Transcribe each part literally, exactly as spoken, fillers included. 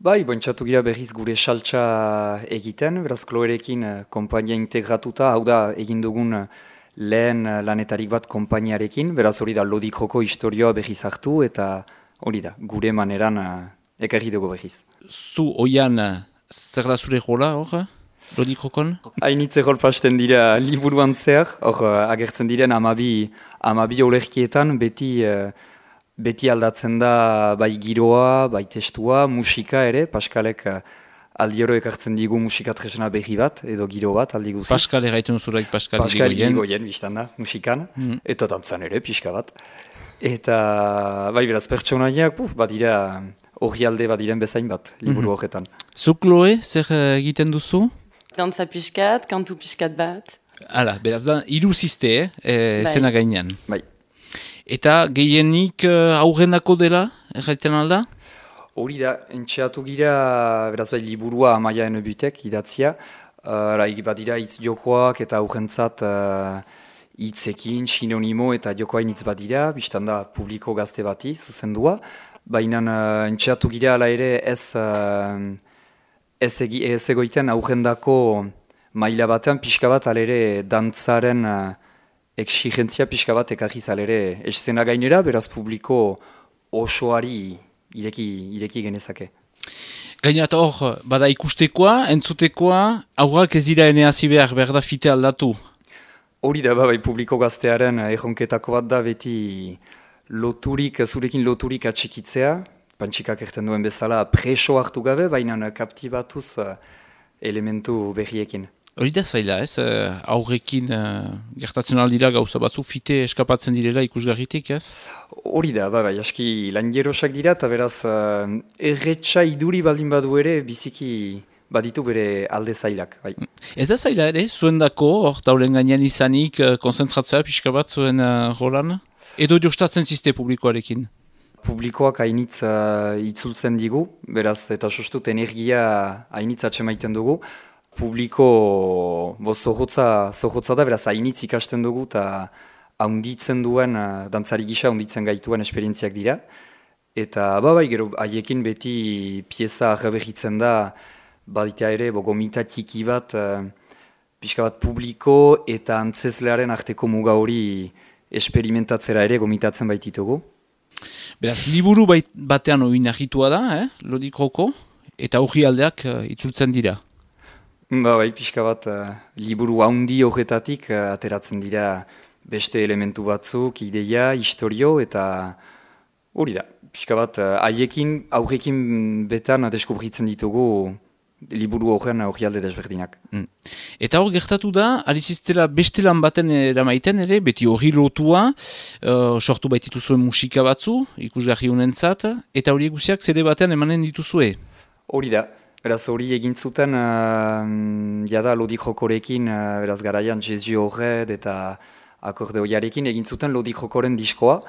Bai, bontxatu gira berriz gure saltsa egiten, beraz Kloerekin eh, konpainia integratuta, hau da egin dugun eh, lehen eh, lanetarik bat konpainiarekin, beraz hori da Lodik Joko historioa berriz hartu eta hori da, gure maneran eh, ekarri dugu berriz. Zu oian zer da zure jola hor, Lodik Jokon? Hainitze rol pasten dira liburuan zer, hor eh, agertzen diren amabi, amabi olerkietan beti... eh, Beti aldatzen da bai giroa, bai testua, musika ere, Paskalek aldioro ekartzen digu musika tresna berri bat, edo giro bat aldi guziz. Paskal erraiten zuraik Paskal Paskal Irigoyen. Irigoyen, biztan da, musikan, Mm. eta dantzan ere, pixka bat. Eta, bai beraz, pertsonaiak, puf, badira, hori alde badiren bezain bat, liburu horretan. Zu, Chloe, zer eh, egiten duzu? Dantza pixkat, kantu pixkat bat. Hala, beraz da, hiru ziste, eh, eh, Bai. zena gainean. Bai. Eta gehienik uh, aurrenako dela, erraiten alda? Hori da, entxeatu gira, beraz bai, liburua Amaiaen Butek idatzia, uh, badira hitz jokoak eta aurrentzat uh, hitzekin, sinonimo eta jokoain hitz badira, biztan da publiko gazte bati, zuzendua, baina uh, entxeatu gira ala ere ez, uh, ez, egi, ez egoiten aurrendako maila batean, pixka bat ala ere dantzaren uh, exigentzia pixka bat ekarriz alere eszena gainera, beraz publiko osoari ireki, ireki genezake. Gainat hor, bada ikustekoa, entzutekoa, aurrak ez dira ene hasi behar, behar da fite aldatu. Hori da, bai, publiko gaztearen erronketako bat da beti loturik, zurekin loturik atxikitzea, pantxikak erten duen bezala preso hartu gabe, baina kaptibatuz elementu berriekin. Hori da zaila, ez? Uh, aurrekin uh, gertatzen aldira gauza batzu, fite eskapatzen direla ikusgarritik, ez? Hori da, bai, bai, aski lanjerosak dira, eta beraz, uh, erretxa iduri baldin badu ere, biziki baditu bere alde zailak, bai. Ez da zaila ere, zuen dako, hor taulen gainean izanik, uh, konzentratzea pixka bat zuen uh, rolan? Edo jostatzen ziste publikoarekin? Publikoak hainitz uh, itzultzen digu, beraz, eta sustut energia hainitz atxemaiten dugu, publiko bo, zohotza, zohotza da, beraz, hainitz ikasten dugu eta haunditzen duen, uh, dantzari gisa haunditzen gaituen esperientziak dira. Eta, ba, bai, gero, haiekin beti pieza arreberritzen da, badita ere, bo, gomita txiki bat, uh, pixka bat publiko eta antzeslearen arteko muga hori esperimentatzera ere gomitatzen baititugu. Beraz, liburu bait, batean oin ahitua da, eh? Lodik Joko, eta hori aldeak uh, itzultzen dira. Ba, bai, pixka bat, uh, liburu haundi horretatik uh, ateratzen dira beste elementu batzuk, ideia, historio, eta hori da. Pixka bat, uh, haiekin, aurrekin betan deskubritzen ditugu liburu horren hori alde desberdinak. Mm. Eta hor gertatu da, aliziztela beste lan baten eramaiten ere, beti hori lotua, uh, sortu baititu zuen musika batzu, ikusgarri honentzat, eta hori egusiak zede batean emanen dituzue. Hori da. Beraz hori egin zuten, uh, jada Lodik Jokorekin, uh, beraz garaian Jesu Horred eta akordeoiarekin egin zuten Lodik Jokoren diskoa.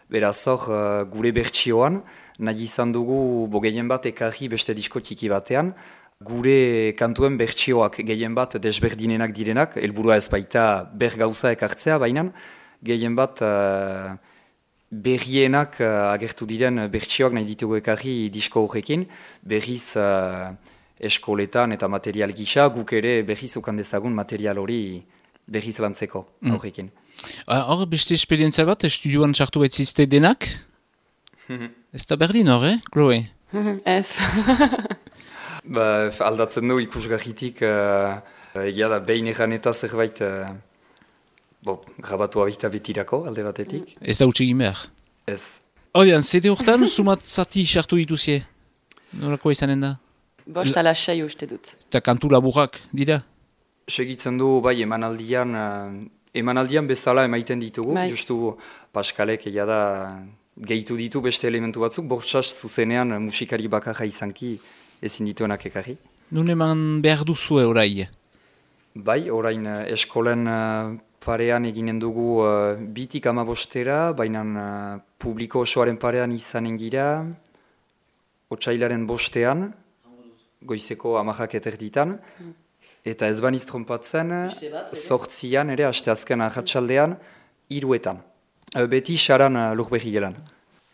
Beraz hor uh, gure bertsioan, nahi izan dugu bo gehien bat ekarri beste disko txiki batean, gure kantuen bertsioak gehien bat desberdinenak direnak, helburua ez baita ber gauza ekartzea, baina gehien bat uh, berrienak uh, agertu diren bertsioak nahi ditugu ekarri disko horrekin, berriz uh, eskoletan eta material gisa, guk ere berriz ukan dezagun material hori berriz lantzeko horrekin. Mm. Hor, beste esperientzia bat, estudioan sartu betzizte denak? Ez da berdin hor, eh, Chloe? Ez. Ba, aldatzen du ikusgarritik, uh, egia da behin egan eta zerbait uh, bo, grabatu abita betirako alde batetik. Ez da utxegin behar. Ez. Horian, zede hortan, sumat zati sartu dituzie? Norako izanen da? Bost ala sei uste dut. Eta kantu laburrak dira? Segitzen du, bai, emanaldian, uh, emanaldian bezala emaiten ditugu, Bai. justu Paskalek egia da gehitu ditu beste elementu batzuk, bortxas zuzenean uh, musikari bakarra izanki ezin dituenak ekarri. Nun eman behar duzue orai? Bai, orain uh, eskolen uh, parean eginen dugu uh, bitik amabostera, baina uh, publiko osoaren parean izanen gira, otsailaren bostean, goizeko amajak eterditan, eta ez baniz trompatzen, sortzian ere, asteazken ahatsaldean, hiruetan. Uh, beti xaran uh, lurberri gelan.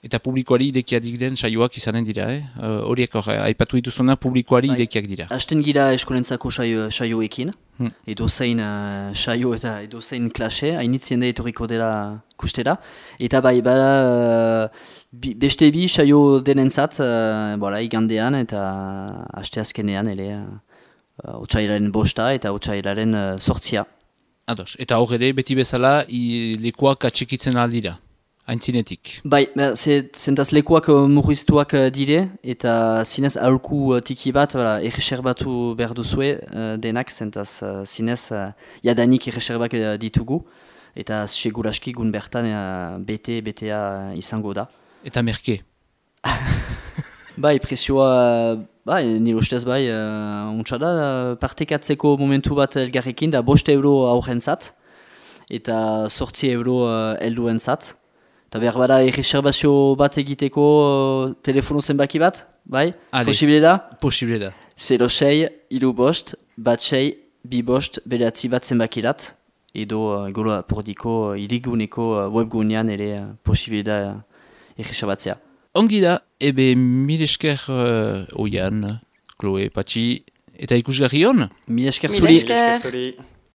Eta publikoari idekiak diren saioak izanen dira, eh? Horiek hor, aipatu dituzuna publikoari bai. idekiak dira. Hasten gira eskolentzako saio, saioekin, hmm. edo zein uh, saio eta edo zein klase, hainitzien da etorriko dela kustera. Eta bai, bada, uh, bi, beste bi saio denentzat, uh, bola, igandean eta haste azkenean, ere, uh, otsailaren bosta eta otsailaren uh, sortzia. Ados, eta hor ere, beti bezala, i, lekuak atxikitzen aldira. Aintzinetik. Bai, zentaz lekuak uh, murriztuak uh, dire, eta zinez aholku uh, tiki bat, erreserbatu behar duzue uh, denak, zentaz uh, zinez uh, jadanik erreserbak uh, ditugu, eta seguraski gun bertan uh, bete, betea izango da. Eta merke. Bai, presioa, bai, nire ustez bai, uh, untsa da, uh, partekatzeko momentu bat elgarrekin, da bost euro aurrentzat, eta sortzi euro uh, helduentzat. Eta behar bada erreserbazio bat egiteko uh, telefono zenbaki bat, bai? Ale, posible da? Posible da. zero sei, hiru bost, bat sei, bi bost, beratzi bat zenbakirat, edo uh, golo apordiko uh, iriguneko uh, webgunean ere uh, posible da uh, erreserbatzea. Ongi da, ebe mil esker uh, oian, Chloe, Patxi, eta ikusgarri hon? Mil esker Mil zuri. esker. Zuri.